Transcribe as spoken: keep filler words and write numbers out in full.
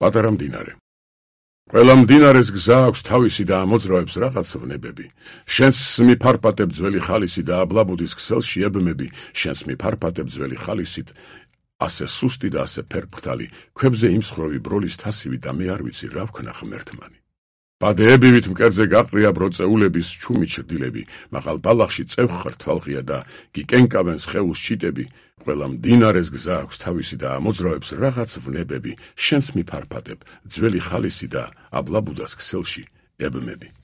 პატარა მდინარე. ყველა მდინარეს გზა აქვს თავისი და ამოძრავებს რაღაც ვნებები. შენს მიფარფატებ ძველი ხალისი და აბლაბუდის ქსელში ებმები, შენს მიფარფატებ ძველი ხალისით, ასე სუსტი და ასე ფერფრთალი, ქვებზე იმსხვრევი ბროლის თასივი და მე არ ვიცი რა ვქნა ღმერთმანი. პადეებივით მკერდზე გაყრია ბროწეულების ჩუმი ჩრდილები, მაღალ ბალახში წევხარ თვალღია და გიკენკავენ სხეულს ჩიტები, ყველა მდინარეს გზა აქვს თავისი და ამოძრავებს რაღაც ვნებები, შენს მიფარფატებ ძველი ხალისი და აბლაბუდას ქსელში ებმები.